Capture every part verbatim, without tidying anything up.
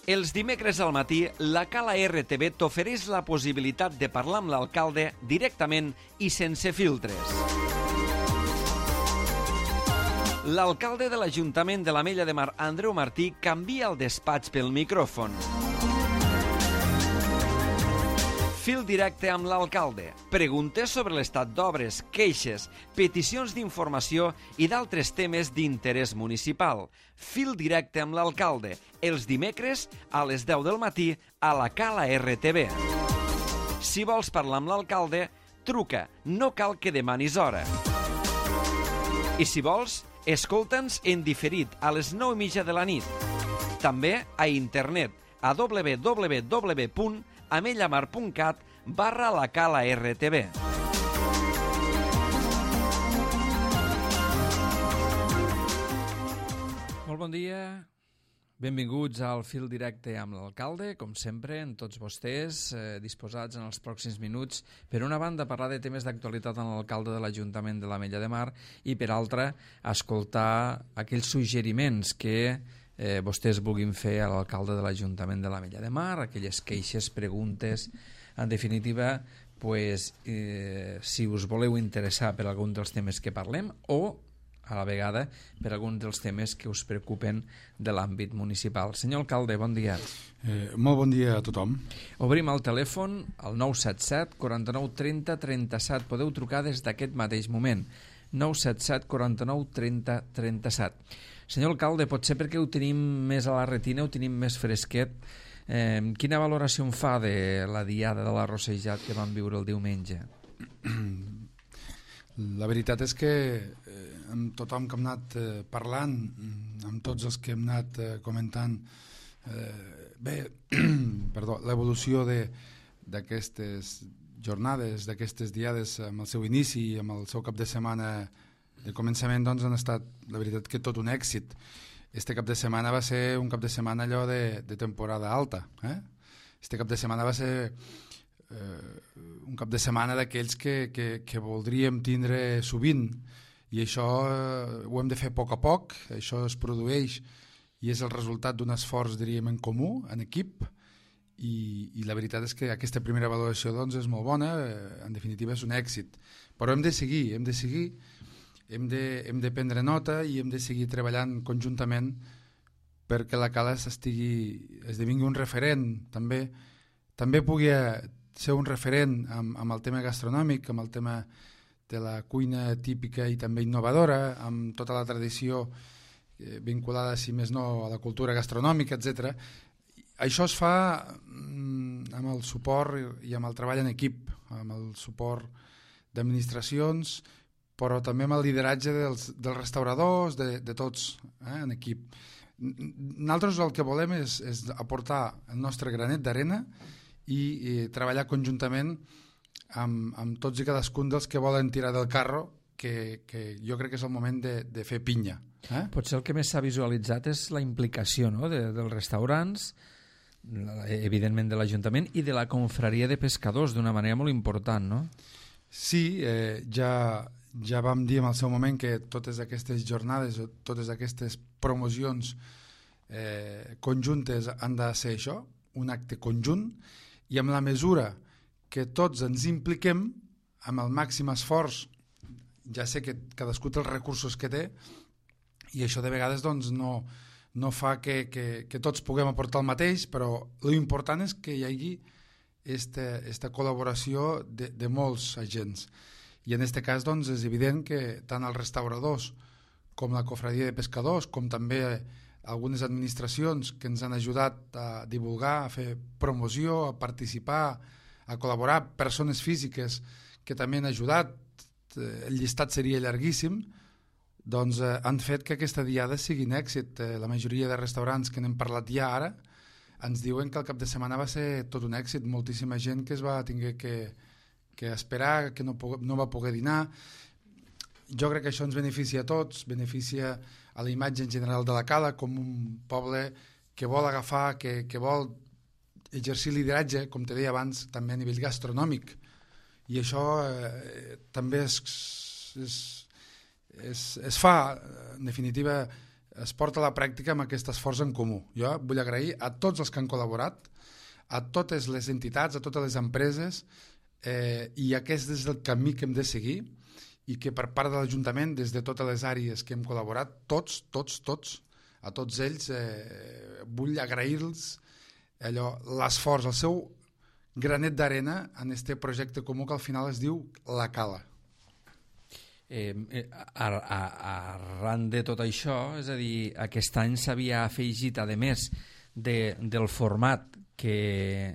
Els dimecres al matí, la Cala R T V t'ofereix la possibilitat de parlar amb l'alcalde directament i sense filtres. L'alcalde de l'Ajuntament de l'Ametlla de Mar, Andreu Martí, canvia el despatx pel micròfon. Fil directe amb l'alcalde. Preguntes sobre l'estat d'obres, queixes, peticions d'informació i d'altres temes d'interès municipal. Fil directe amb l'alcalde. Els dimecres a les deu del matí a la Cala R T V. Si vols parlar amb l'alcalde, truca. No cal que demanis hora. I si vols, escolta'ns en diferit a les nou i mitja de la nit. També a internet a w w w punt amellamar punt cat barra la Cala R T V. Molt bon dia, benvinguts al Fil Directe amb l'alcalde, com sempre, en tots vostès, eh, disposats en els pròxims minuts, per una banda, parlar de temes d'actualitat amb l'alcalde de l'Ajuntament de l'Ametlla de Mar i, per altra, escoltar aquells suggeriments que eh, vostès vulguin fer a l'alcalde de l'Ajuntament de l'Ametlla de Mar, aquelles queixes, preguntes, en definitiva, pues, eh, si us voleu interessar per algun dels temes que parlem o a la vegada per alguns dels temes que us preocupen de l'àmbit municipal. Senyor alcalde, bon dia. Eh, molt bon dia a tothom. Obrim el telèfon al nou set set, quaranta-nou, trenta, trenta-set. Podeu trucar des d'aquest mateix moment. nou set set, quaranta-nou, trenta, trenta-set. Senyor alcalde, potser perquè ho tenim més a la retina, ho tenim més fresquet. Eh, quina valoració en fa de la diada de la Rossejat que vam viure el diumenge? La veritat és que eh, amb tothom que hem anat eh, parlant, amb tots els que hem anat eh, comentant, eh, bé, perdó, l'evolució d'aquestes jornades, d'aquestes diades amb el seu inici i amb el seu cap de setmana de començament, doncs han estat, la veritat, que tot un èxit. Este cap de setmana va ser un cap de setmana allò de, de temporada alta. Eh? Este cap de setmana va ser eh, un cap de setmana d'aquells que, que, que voldríem tindre sovint, i això eh, ho hem de fer a poc a poc, això es produeix i és el resultat d'un esforç, diríem, en comú, en equip, i, i la veritat és que aquesta primera valoració doncs, és molt bona, eh, en definitiva és un èxit. Però hem de seguir, hem de seguir, hem de, hem de prendre nota i hem de seguir treballant conjuntament perquè la Cala estigui, esdevingui un referent, també, també pugui ser un referent amb, amb el tema gastronòmic, amb el tema de la cuina típica i també innovadora, amb tota la tradició eh, vinculada, si més no, a la cultura gastronòmica, etcètera. Això es fa mm, amb el suport i amb el treball en equip, amb el suport d'administracions, però també amb el lideratge dels, dels restauradors, de, de tots, eh, en equip. Nosaltres el que volem és, és aportar el nostre granet d'arena i, i treballar conjuntament amb, amb tots i cadascun dels que volen tirar del carro, que, que jo crec que és el moment de, de fer pinya. Eh? Potser el que més s'ha visualitzat és la implicació, no?, de, dels restaurants, evidentment de l'Ajuntament, i de la confraria de pescadors d'una manera molt important, no? Sí, eh, ja... Ja vam dir en el seu moment que totes aquestes jornades, totes aquestes promocions eh, conjuntes han de ser això, un acte conjunt, i amb la mesura que tots ens impliquem amb el màxim esforç, ja sé que cadascú té els recursos que té, i això de vegades doncs, no, no fa que, que, que tots puguem aportar el mateix, però l'important és que hi hagi esta, esta col·laboració de, de molts agents. I en aquest cas doncs, és evident que tant els restauradors com la cofradia de pescadors, com també algunes administracions que ens han ajudat a divulgar, a fer promoció, a participar, a col·laborar, persones físiques que també han ajudat, el llistat seria llarguíssim, doncs eh, han fet que aquesta diada sigui un èxit. Eh, la majoria de restaurants que n'hem parlat ja ara ens diuen que el cap de setmana va ser tot un èxit, moltíssima gent que es va tinguer que que esperar, que no, no va poder dinar. Jo crec que això ens beneficia a tots, beneficia a la imatge en general de la Cala com un poble que vol agafar, que, que vol exercir lideratge, com te deia abans, també a nivell gastronòmic. I això eh, també es, es, es, es fa, en definitiva, es porta a la pràctica amb aquest esforç en comú. Jo vull agrair a tots els que han col·laborat, a totes les entitats, a totes les empreses, eh, i aquest és el camí que hem de seguir, i que per part de l'Ajuntament, des de totes les àrees que hem col·laborat, tots, tots, tots, a tots ells, eh, vull agrair-los l'esforç, el seu granet d'arena en aquest projecte comú que al final es diu La Cala. Eh, ar, ar, arran de tot això, és a dir, aquest any s'havia afegit, a més de, del format que,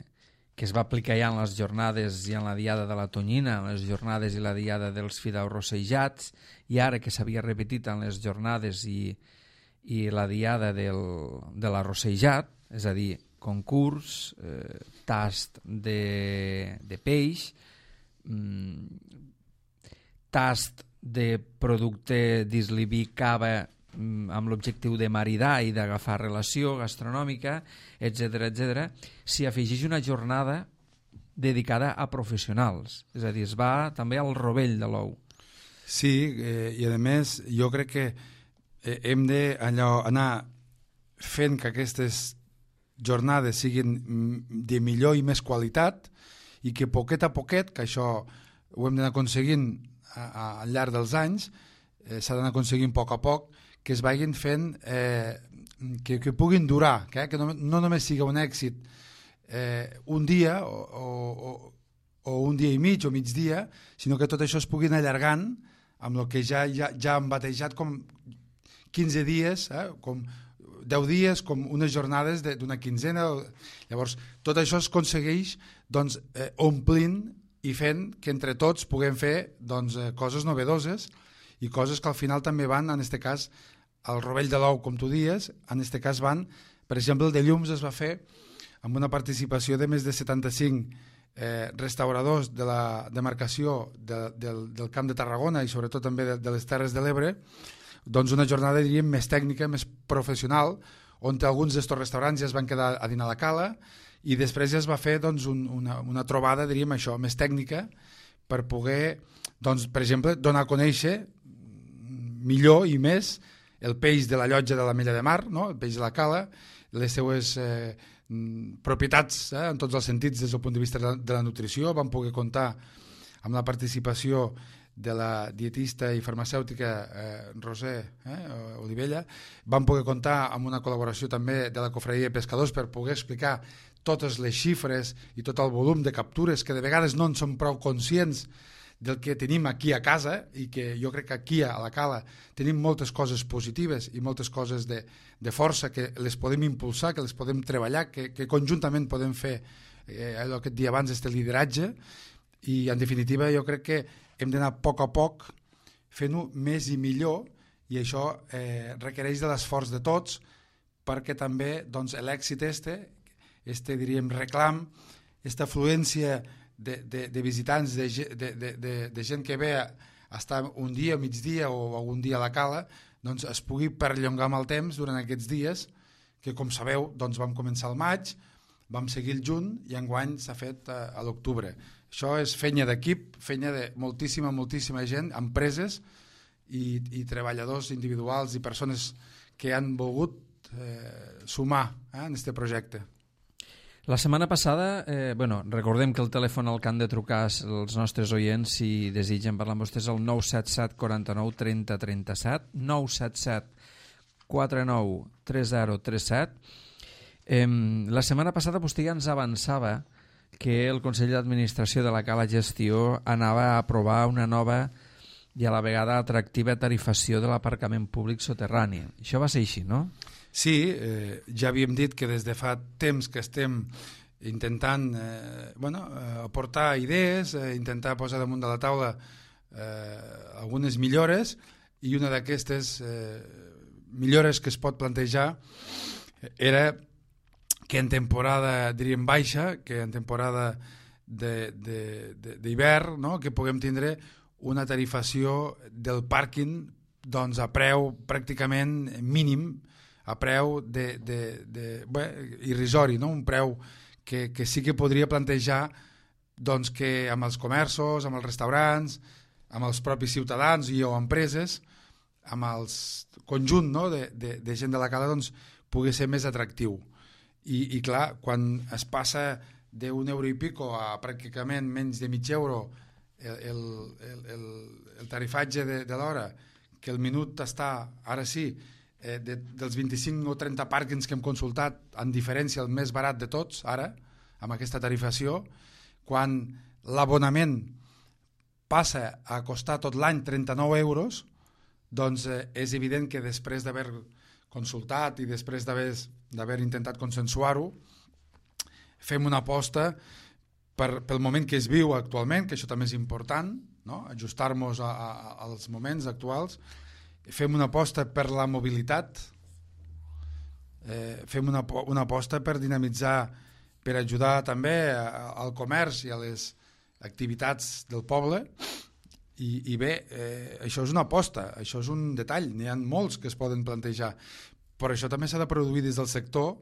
que es va aplicar ja en les jornades i en la diada de la Tonyina, en les jornades i la diada dels fideus rossejats, i ara que s'havia repetit en les jornades i, i la diada del, de l'arrossejat, és a dir, concurs, eh, tast de, de peix, mm, tast de producte d'Islibí cava amb l'objectiu de maridar i d'agafar relació gastronòmica, etcètera, etcètera, s'hi afegeix una jornada dedicada a professionals. És a dir, es va també al rovell de l'ou. Sí, eh, i a més jo crec que eh, hem de allò, anar fent que aquestes jornades siguin de millor i més qualitat, i que poquet a poquet, que això ho hem d'anar aconseguint a, a, al llarg dels anys, eh, s'ha d'anar aconseguint a poc a poc, que es vagin fent, eh, que, que puguin durar, que, que no, no només sigui un èxit eh, un dia o, o, o un dia i mig o migdia, sinó que tot això es puguin allargant amb el que ja, ja, ja han batejat com quinze dies, eh, com deu dies, com unes jornades d'una quinzena. Llavors, tot això es aconsegueix doncs, eh, omplint i fent que entre tots puguem fer doncs, eh, coses novedoses i coses que al final també van, en aquest cas, al rovell de l'ou, com tu dies, en aquest cas van, per exemple, el de llums es va fer amb una participació de més de setanta-cinc eh, restauradors de la demarcació de, del, del Camp de Tarragona i sobretot també de, de les Terres de l'Ebre, doncs una jornada, diríem, més tècnica, més professional, on alguns d'estos restaurants ja es van quedar a dinar a la cala, i després ja es va fer doncs, un, una, una trobada, diríem això, més tècnica, per poder, doncs, per exemple, donar a conèixer millor i més el peix de la llotja de la Mella de Mar, no? El peix de la cala, les seues eh, propietats, eh, en tots els sentits des del punt de vista de la, de la nutrició. Vam poder comptar amb la participació de la dietista i farmacèutica eh, Roser eh, Olivella. Vam poder comptar amb una col·laboració també de la Cofradia de Pescadors per poder explicar totes les xifres i tot el volum de captures que de vegades no en som prou conscients del que tenim aquí a casa, i que jo crec que aquí a la Cala tenim moltes coses positives i moltes coses de, de força que les podem impulsar, que les podem treballar, que, que conjuntament podem fer eh, allò que et dia abans, este lideratge, i en definitiva jo crec que hem d'anar a poc a poc fent-ho més i millor, i això eh, requereix de l'esforç de tots, perquè també doncs, l'èxit este, este diríem reclam, esta afluència de, de, de visitants, de, de, de, de, de gent que ve a estar un dia, migdia o algun dia a la Cala, doncs es pugui perllongar amb el temps durant aquests dies, que com sabeu doncs vam començar al maig, vam seguir el juny i enguany s'ha fet a, a l'octubre. Això és feina d'equip, feina de moltíssima, moltíssima gent, empreses i, i treballadors individuals i persones que han volgut eh, sumar eh, en aquest projecte. La setmana passada, eh, bueno, recordem que el telèfon al que han de trucar els nostres oients si desitgen parlar amb vostès el nou set set quaranta-nou trenta trenta-set, nou set set quaranta-nou trenta trenta-set. Eh, la setmana passada vostè ja ens avançava que el Consell d'Administració de la Cala Gestió anava a aprovar una nova i a la vegada atractiva tarifació de l'aparcament públic soterrani. Això va ser així, no? Sí, eh, ja havíem dit que des de fa temps que estem intentant eh, bueno, eh, aportar idees, eh, intentar posar damunt de la taula eh, algunes millores, i una d'aquestes eh, millores que es pot plantejar era que en temporada, diríem, baixa, que en temporada d'hivern, no? Que puguem tindre una tarifació del pàrquing doncs, a preu pràcticament mínim, a preu de, de, de, bé, irrisori, no? Un preu que, que sí que podria plantejar doncs, que amb els comerços, amb els restaurants, amb els propis ciutadans i o empreses, amb el conjunt, no? de, de, de gent de la cala doncs, pugui ser més atractiu. I, i clar, quan es passa d'un euro i pico a pràcticament menys de mig euro el, el, el, el tarifatge de, de l'hora, que el minut està, ara sí, eh, de, dels vint-i-cinc o trenta pàrquings que hem consultat, en diferència el més barat de tots, ara, amb aquesta tarifació, quan l'abonament passa a costar tot l'any trenta-nou euros, doncs eh, és evident que després d'haver consultat i després d'haver intentat consensuar-ho, fem una aposta per, pel moment que es viu actualment, que això també és important, no? Ajustar-nos a, a, als moments actuals, fem una aposta per la mobilitat, eh, fem una, una aposta per dinamitzar, per ajudar també a, al comerç i a les activitats del poble. I, i bé, eh, això és una aposta, això és un detall, n'hi ha molts que es poden plantejar, però això també s'ha de produir des del sector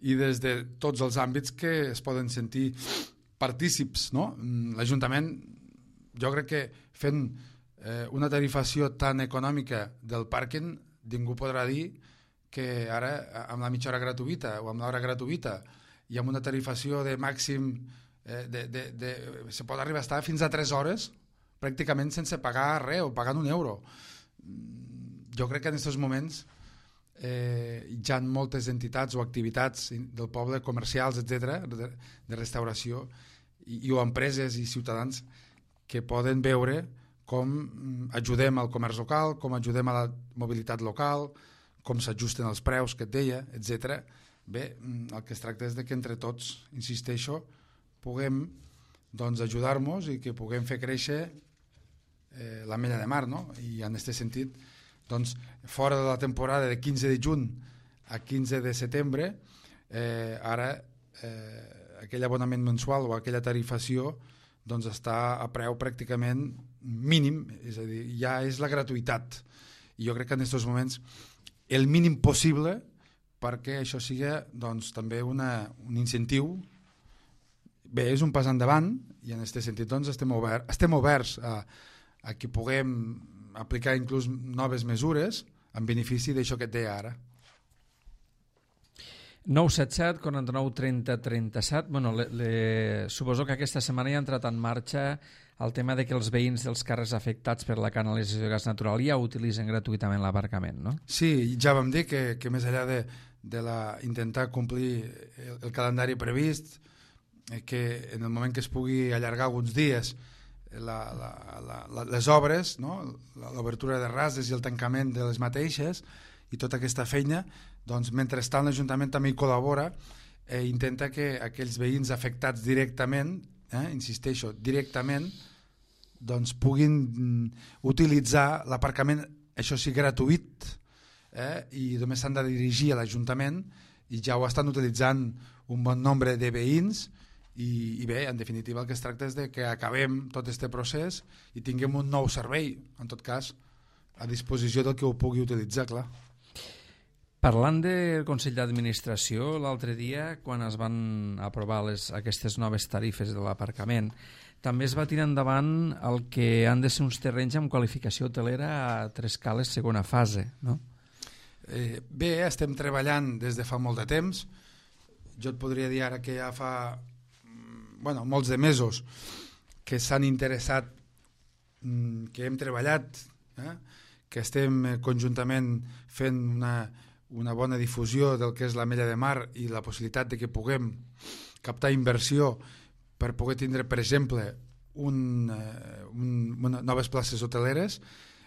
i des de tots els àmbits que es poden sentir partícips, no? L'Ajuntament, jo crec que fent eh, una tarifació tan econòmica del pàrquing, ningú podrà dir que ara amb la mitja hora gratuïta o amb l'hora gratuïta i amb una tarifació de màxim eh, de, de, de, se pot arribar a estar fins a tres hores pràcticament sense pagar res o pagant un euro. Jo crec que en aquests moments eh, hi ha moltes entitats o activitats del poble, comercials, etcètera, de, de restauració, i, i o empreses i ciutadans que poden veure com ajudem al comerç local, com ajudem a la mobilitat local, com s'ajusten els preus que et deia, etcètera. Bé, el que es tracta és de que entre tots, insisteixo, puguem doncs, ajudar-nos i que puguem fer créixer Eh, la mella de mar, no? I en aquest sentit, doncs, fora de la temporada de quinze de juny a quinze de setembre, eh, ara eh, aquell abonament mensual o aquella tarifació doncs està a preu pràcticament mínim, és a dir, ja és la gratuïtat. I jo crec que en aquests moments el mínim possible perquè això sigui doncs, també una, un incentiu. Bé, és un pas endavant i en aquest sentit doncs, estem, obert, estem oberts a a que puguem aplicar inclús noves mesures en benefici d'això que et deia ara. nou set set, quaranta-nou, trenta, trenta-set. Bueno, le, le... suposo que aquesta setmana ja ha entrat en marxa el tema de que els veïns dels carrers afectats per la canalització de gas natural ja utilitzen gratuïtament l'aparcament, no? Sí, ja vam dir que, que més enllà de, de la, intentar complir el, el calendari previst, eh, que en el moment que es pugui allargar alguns dies La, la, la, la, les obres, no? L'obertura de rases i el tancament de les mateixes i tota aquesta feina, doncs mentrestant l'Ajuntament també hi col·labora, eh, intenta que aquells veïns afectats directament, eh, insisteixo, directament, doncs puguin mm, utilitzar l'aparcament, això sí, gratuït, eh, i només s'han de dirigir a l'Ajuntament i ja ho estan utilitzant un bon nombre de veïns. I, i bé, en definitiva el que es tracta és de que acabem tot aquest procés i tinguem un nou servei, en tot cas a disposició del que ho pugui utilitzar, clar. Parlant del Consell d'Administració, l'altre dia, quan es van aprovar les, aquestes noves tarifes de l'aparcament, també es va tirar endavant el que han de ser uns terrenys amb qualificació hotelera a Tres Cales segona fase, no? Eh, bé, estem treballant des de fa molt de temps. Jo et podria dir ara que ja fa bueno, molts de mesos que s'han interessat, que hem treballat, eh? que estem conjuntament fent una, una bona difusió del que és la mella de mar i la possibilitat de que puguem captar inversió per poder tindre, per exemple, un, un, una, noves places hoteleres.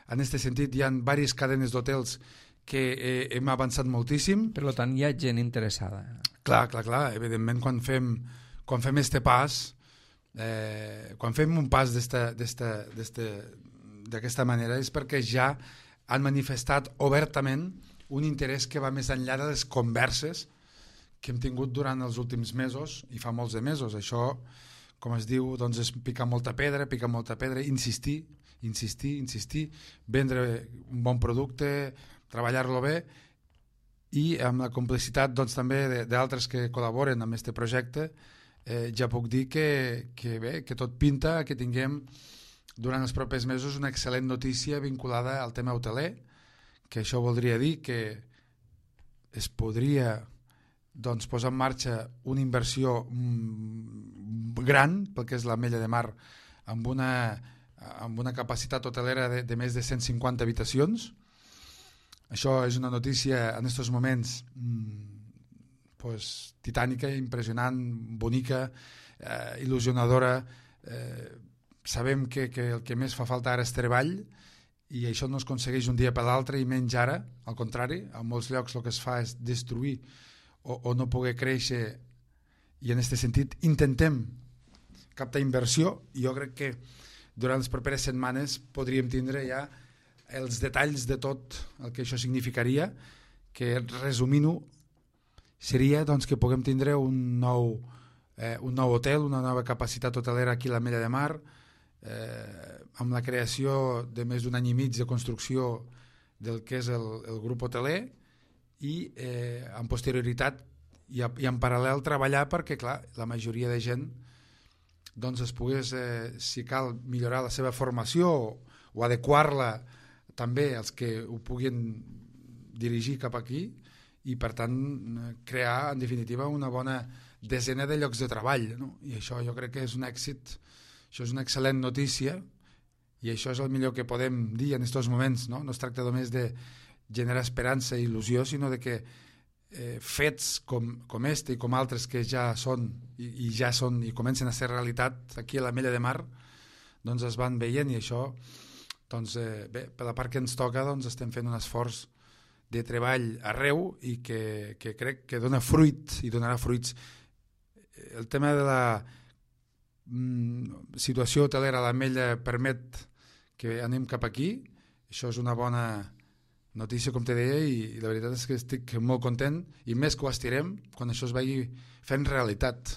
En aquest sentit, hi ha diverses cadenes d'hotels que eh, hem avançat moltíssim. Per tant, hi ha gent interessada. Clar, clar, clar. Evidentment, quan fem quan fem este pas, eh, quan fem un pas d'aquesta manera és perquè ja han manifestat obertament un interès que va més enllà de les converses que hem tingut durant els últims mesos, i fa molts de mesos. Això, com es diu, doncs és picar molta pedra, picar molta pedra, insistir, insistir, insistir, vendre un bon producte, treballar-lo bé, i amb la complicitat doncs, també d'altres que col·laboren amb aquest projecte. Eh, ja puc dir que, que, bé, que tot pinta que tinguem durant els propers mesos una excel·lent notícia vinculada al tema hoteler, que això voldria dir que es podria doncs, posar en marxa una inversió gran, pel que és l'Ametlla de Mar, amb una, amb una capacitat hotelera de, de més de cent cinquanta habitacions. Això és una notícia en aquests moments pues, titànica, impressionant, bonica, eh, il·lusionadora. Eh, sabem que, que el que més fa falta ara és treball, i això no es aconsegueix un dia per l'altre, i menys ara, al contrari, en molts llocs el que es fa és destruir o, o no poder créixer, i en aquest sentit intentem captar inversió, i jo crec que durant les properes setmanes podríem tindre ja els detalls de tot el que això significaria, que resumint-ho seria doncs, que puguem tindre un nou, eh, un nou hotel, una nova capacitat hotelera aquí a l'Ametlla de Mar, eh, amb la creació de més d'un any i mig de construcció del que és el, el grup hoteler, i eh, en posterioritat i, a, i en paral·lel treballar perquè clar, la majoria de gent doncs es pogués, eh, si cal, millorar la seva formació o, o adequar-la també als que ho puguin dirigir cap aquí, i per tant crear en definitiva una bona desena de llocs de treball, no? I això jo crec que és un èxit, això és una excel·lent notícia, i això és el millor que podem dir en aquests moments, no? No es tracta només de generar esperança i il·lusió, sinó de que eh, fets com, com este i com altres que ja són i, i ja són i comencen a ser realitat aquí a l'Ametlla de Mar, doncs es van veient, i això doncs, eh, bé, per la part que ens toca doncs estem fent un esforç de treball arreu i que, que crec que dona fruit i donarà fruits. El tema de la mm, situació hotelera a l'Ametlla permet que anem cap aquí, això és una bona notícia, com te deia, i, i la veritat és que estic molt content, i més que ho estirem quan això es vagi fent realitat.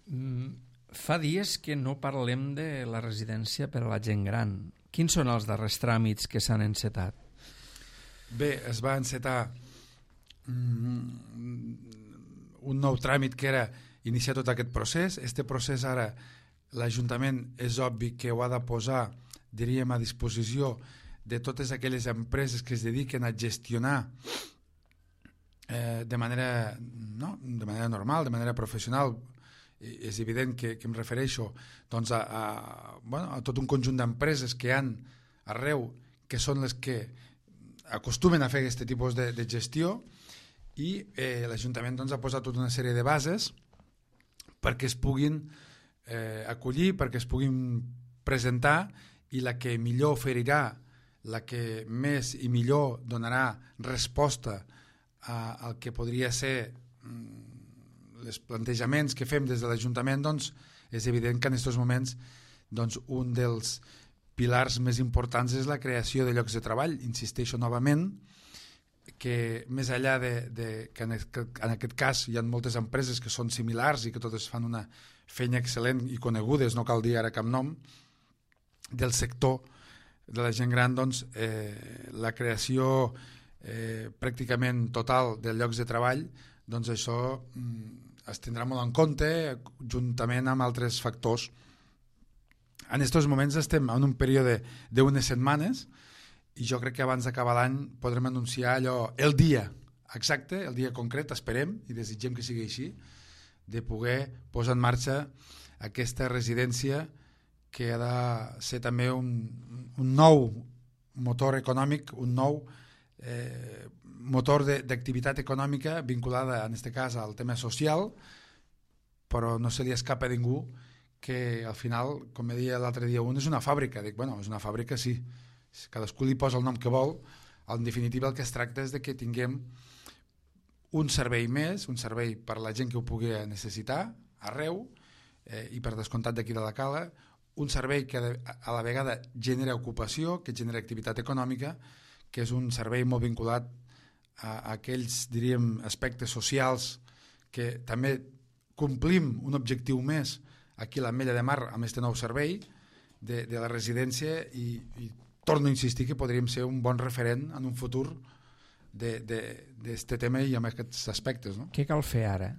Mm, fa dies que no parlem de la residència per a la gent gran. Quins són els darrers tràmits que s'han encetat? Bé, es va encetar mm, un nou tràmit que era iniciar tot aquest procés. Este procés ara l'Ajuntament és obvi que ho ha de posar, diríem, a disposició de totes aquelles empreses que es dediquen a gestionar eh, de manera no, de manera normal, de manera professional. I és evident que, que em refereixo doncs, a, a, bueno, a tot un conjunt d'empreses que hi ha arreu, que són les que acostumen a fer aquest tipus de, de gestió, i eh, l'Ajuntament doncs, ha posat tota una sèrie de bases perquè es puguin eh, acollir, perquè es puguin presentar, i la que millor oferirà, la que més i millor donarà resposta a, al que podria ser mm, els plantejaments que fem des de l'Ajuntament, doncs és evident que en aquests moments doncs, un dels pilars més importants és la creació de llocs de treball. Insisteixo novament que més enllà de, de que en aquest cas hi ha moltes empreses que són similars i que totes fan una feina excel·lent i conegudes, no cal dir ara cap nom, del sector de la gent gran, doncs eh, la creació eh, pràcticament total de llocs de treball, doncs això mm, es tindrà molt en compte juntament amb altres factors. En aquests moments estem en un període d'unes setmanes, i jo crec que abans d'acabar l'any podrem anunciar allò, el dia exacte, el dia concret, esperem i desitgem que sigui així, de poder posar en marxa aquesta residència que ha de ser també un, un nou motor econòmic, un nou eh, motor d'activitat econòmica vinculada, en aquest cas, al tema social, però no se li escapa a ningú que al final, com me deia l'altre dia un, és una fàbrica. Dic, bueno, és una fàbrica, sí, cadascú li posa el nom que vol. En definitiva el que es tracta és de que tinguem un servei més, un servei per a la gent que ho pugui necessitar arreu, eh, i per descomptat d'aquí de la Cala, un servei que a la vegada genera ocupació, que genera activitat econòmica, que és un servei molt vinculat a, a aquells, diríem, aspectes socials que també complim un objectiu més aquí a l'Ametlla de Mar amb aquest nou servei de, de la residència, i, i torno a insistir que podríem ser un bon referent en un futur d'aquest tema i amb aquests aspectes. No? Què cal fer ara?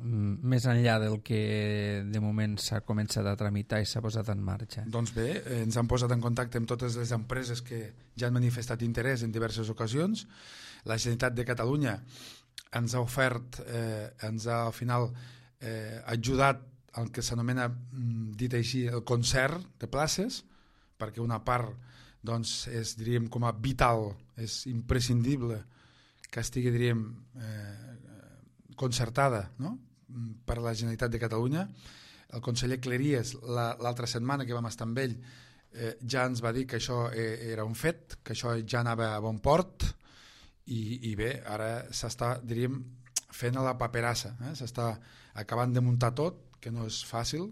més enllà del que de moment s'ha començat a tramitar i s'ha posat en marxa? Doncs bé, eh, ens han posat en contacte amb totes les empreses que ja han manifestat interès en diverses ocasions. La Generalitat de Catalunya ens ha ofert, eh, ens ha al final eh, ajudat al que s'anomena, dit així, el concert de places, perquè una part doncs, és, diríem, com a vital, és imprescindible que estigui, diríem, eh, concertada, no?, per la Generalitat de Catalunya. El conseller Cleries, l'altra setmana que vam estar amb ell, eh, ja ens va dir que això era un fet, que això ja anava a bon port, i, i bé, ara s'està, diríem, fent a la paperassa, eh? S'està acabant de muntar tot, que no és fàcil,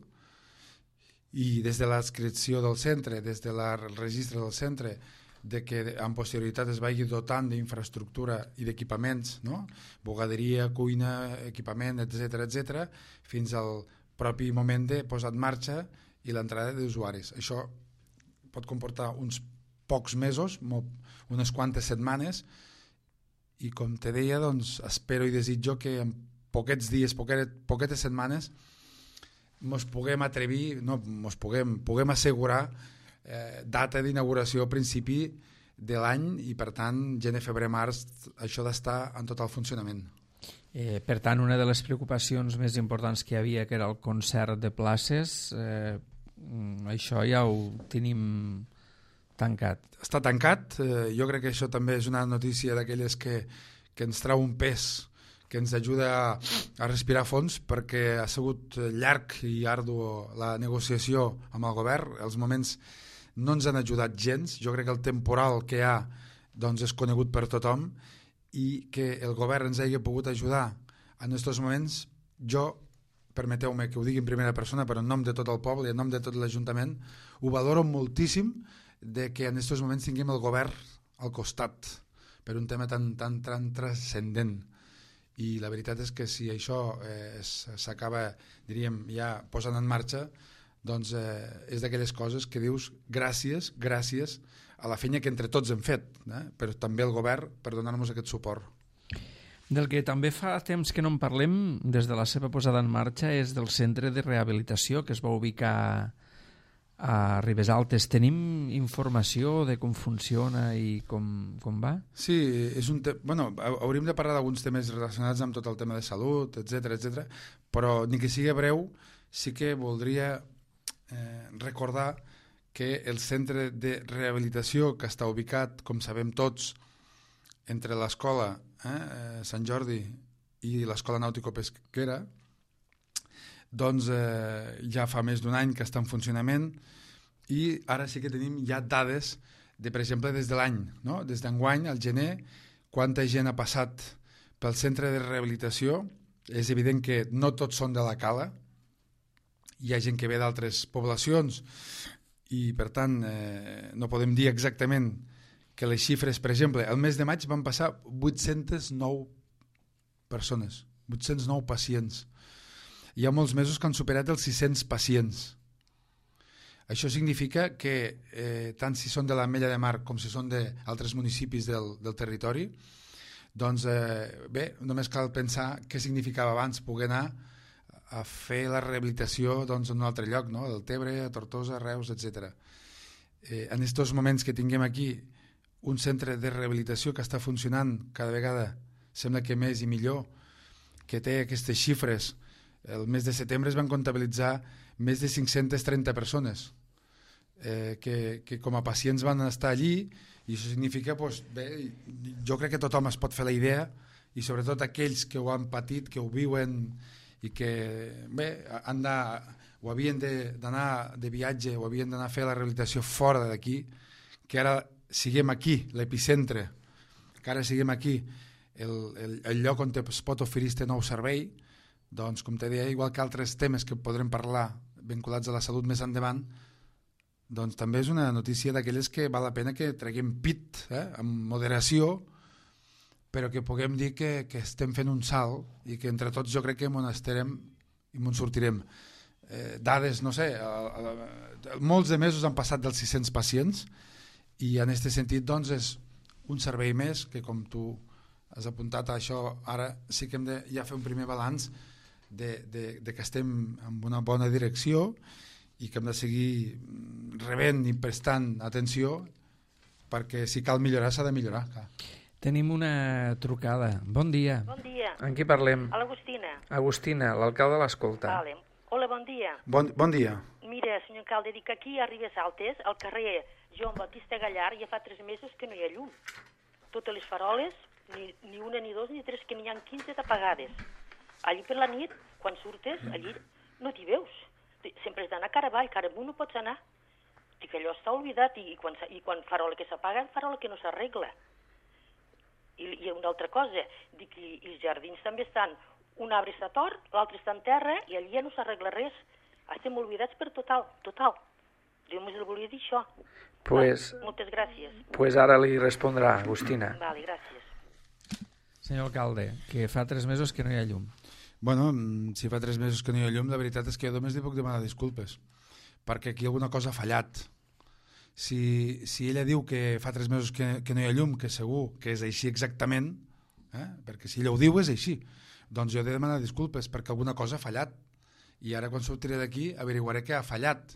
i des de l'adscripció del centre, des del registre del centre, de que en posterioritat es vagi dotant d'infraestructura i d'equipaments, no? Bugaderia, cuina, equipament, etcètera, etcètera, fins al propi moment de posar en marxa i l'entrada d'usuaris. Això pot comportar uns pocs mesos, unes quantes setmanes, i com te deia, doncs, espero i desitjo que en poquets dies, poquetes, poquetes setmanes, mos puguem atrevir, no, mos puguem, puguem assegurar Eh, data d'inauguració a principi de l'any i per tant gener, febrer, març això d'estar en total funcionament. Eh, per tant, una de les preocupacions més importants que hi havia, que era el concert de places, eh, això ja ho tenim tancat. Està tancat, eh, jo crec que això també és una notícia d'aquelles que, que ens trau un pes, que ens ajuda a, a respirar fons, perquè ha sigut llarg i ardu la negociació amb el govern. Els moments no ens han ajudat gens. Jo crec que el temporal que hi ha doncs, és conegut per tothom, i que el govern ens hagi pogut ajudar en aquests moments, jo, permeteu-me que ho digui en primera persona, però en nom de tot el poble i en nom de tot l'Ajuntament, ho valoro moltíssim de que en aquests moments tinguem el govern al costat per un tema tan, tan, tan transcendent. I la veritat és que si això eh, s'acaba, diríem, ja posant en marxa, doncs eh, és d'aquelles coses que dius gràcies, gràcies a la feina que entre tots hem fet, eh? Però també el govern per donar-nos aquest suport. Del que també fa temps que no en parlem des de la seva posada en marxa és del centre de rehabilitació que es va ubicar a Ribes Altes. Tenim informació de com funciona i com, com va? Sí, és un te... bueno, hauríem de parlar d'alguns temes relacionats amb tot el tema de salut, etcètera, etcètera, però ni que sigui breu, sí que voldria eh, recordar que el centre de rehabilitació que està ubicat, com sabem tots, entre l'escola eh, Sant Jordi i l'escola nàutico-pesquera, doncs eh, ja fa més d'un any que està en funcionament, i ara sí que tenim ja dades de, per exemple, des de l'any, no? Des d'enguany, al gener, quanta gent ha passat pel centre de rehabilitació. És evident que no tots són de la Cala, hi ha gent que ve d'altres poblacions i per tant eh, no podem dir exactament que les xifres, per exemple, el mes de maig van passar vuit-centes nou persones, vuit-cents nou pacients. Hi ha molts mesos que han superat els sis-cents pacients. Això significa que eh, tant si són de l'Ametlla de Mar com si són d'altres municipis del, del territori, doncs eh, bé, només cal pensar què significava abans poder anar a fer la rehabilitació doncs, en un altre lloc, no? Del Tebre, a Tortosa, Reus, etcètera. Eh, en aquests moments que tinguem aquí un centre de rehabilitació que està funcionant cada vegada, sembla que més i millor, que té aquestes xifres. El mes de setembre es van comptabilitzar més de cinc-centes trenta persones eh, que, que com a pacients van estar allí, i això significa, doncs, bé, jo crec que tothom es pot fer la idea, i sobretot aquells que ho han patit, que ho viuen i que bé, han de, o havien d'anar de, de viatge o havien d'anar a fer la rehabilitació fora d'aquí, que ara siguem aquí, l'epicentre, que ara siguem aquí, el, el, el lloc on es pot oferir este nou servei, doncs, com te deia, igual que altres temes que podrem parlar vinculats a la salut més endavant, doncs també és una notícia d'aquelles que val la pena que treguem pit, eh, amb moderació, però que puguem dir que, que estem fent un salt i que entre tots jo crec que m'on estarem i m'on sortirem. Eh, dades, no sé, a, a, a, molts de mesos han passat dels sis-cents pacients i en aquest sentit doncs és un servei més que, com tu has apuntat a això, ara sí que hem de ja fer un primer balanç de, de, de que estem en una bona direcció i que hem de seguir rebent i prestant atenció, perquè si cal millorar s'ha de millorar. Clar. Tenim una trucada. Bon dia. Bon dia. En qui parlem? A l'Agustina. Agustina, l'alcalde l'escolta. Vale. Hola, bon dia. Bon, bon dia. Mira, senyor alcalde, dic aquí a Ribes Altes, al carrer Joan Batista Gallar, ja fa tres mesos que no hi ha llum. Totes les faroles, ni, ni una, ni dos, ni tres, que n'hi ha quinze apagades. Allí per la nit, quan surtes, allí no t'hi veus. Sempre has d'anar cara avall, cara amunt no pots anar. Dic, allò està oblidat, i, i, quan, i quan farola que s'apaga, farola que no s'arregla. I, I una altra cosa, dic, i, i els jardins també estan, un arbre està tort, l'altre està en terra, i allí ja no s'arregla res. Estem oblidats per total, total. Jo només el volia dir això. Pues, Va, moltes gràcies. Pues ara li respondrà, Agustina. Vale, gràcies. Senyor alcalde, que fa tres mesos que no hi ha llum. Bueno, si fa tres mesos que no hi ha llum, la veritat és que jo només li puc demanar disculpes, perquè aquí alguna cosa ha fallat. Si, si ella diu que fa tres mesos que, que no hi ha llum, que segur que és així exactament, eh? Perquè si ella ho diu és així, doncs jo he de demanar disculpes perquè alguna cosa ha fallat. I ara quan sortiré d'aquí averiguaré què ha fallat.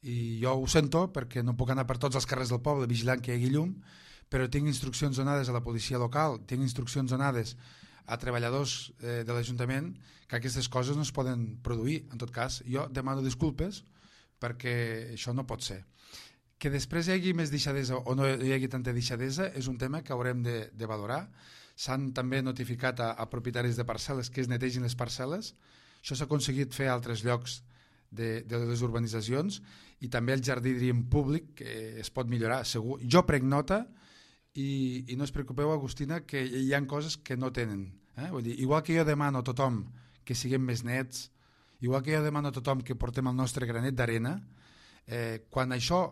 I jo ho sento perquè no puc anar per tots els carrers del poble vigilant que hi hagi llum, però tinc instruccions donades a la policia local, tinc instruccions donades a treballadors eh, de l'Ajuntament que aquestes coses no es poden produir. En tot cas, jo demano disculpes perquè això no pot ser. Que després hi hagi més deixadesa o no hi hagi tanta deixadesa és un tema que haurem de, de valorar. S'han també notificat a, a propietaris de parcel·les que es netegin les parcel·les. Això s'ha aconseguit fer a altres llocs de, de les urbanitzacions i també el jardí, diríem, públic, que es pot millorar, segur. Jo prenc nota i, i no us preocupeu, Agustina, que hi ha coses que no tenen. Eh? Vull dir, igual que jo demano a tothom que siguem més nets, igual que jo demano a tothom que portem el nostre granet d'arena, eh, quan això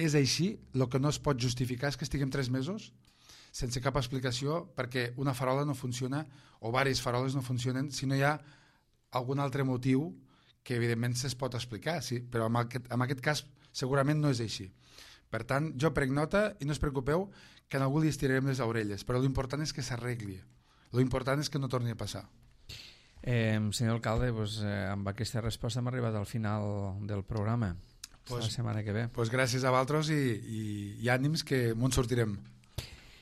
és així, el que no es pot justificar és que estiguem tres mesos sense cap explicació perquè una farola no funciona o diverses faroles no funcionen si no hi ha algun altre motiu que evidentment se's pot explicar, sí, però en aquest, en aquest cas segurament no és així. Per tant, jo prenc nota i no us preocupeu que en algú li estirarem les orelles, però l'important és que s'arregli, l'important és que no torni a passar. Eh, senyor alcalde, pues, eh, amb aquesta resposta hem arribat al final del programa. Pues, la setmana que ve. Pues gràcies a vosaltres i, i, i ànims que m'on sortirem.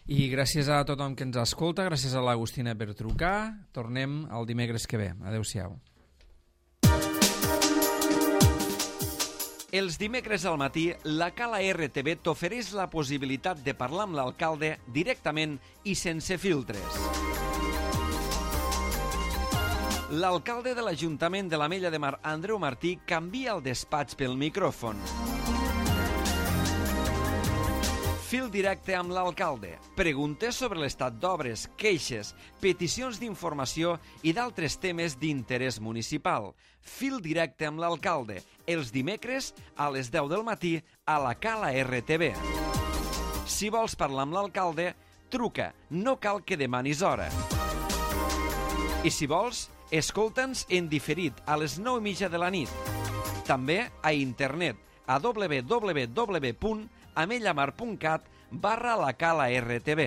I gràcies a tothom que ens escolta, gràcies a l'Agustina per trucar. Tornem el dimecres que ve. Adéu-siau. Els dimecres al matí, la Cala R T V t'ofereix la possibilitat de parlar amb l'alcalde directament i sense filtres. L'alcalde de l'Ajuntament de l'Ametlla de Mar, Andreu Martí, canvia el despatx pel micròfon. Fil directe amb l'alcalde. Preguntes sobre l'estat d'obres, queixes, peticions d'informació i d'altres temes d'interès municipal. Fil directe amb l'alcalde. Els dimecres a les deu del matí a la Cala R T V. Si vols parlar amb l'alcalde, truca. No cal que demanis hora. I si vols, escolta'ns en diferit a les nou i mitja de la nit. També a internet a w w w punt amellamar punt cat barra la Cala R T V.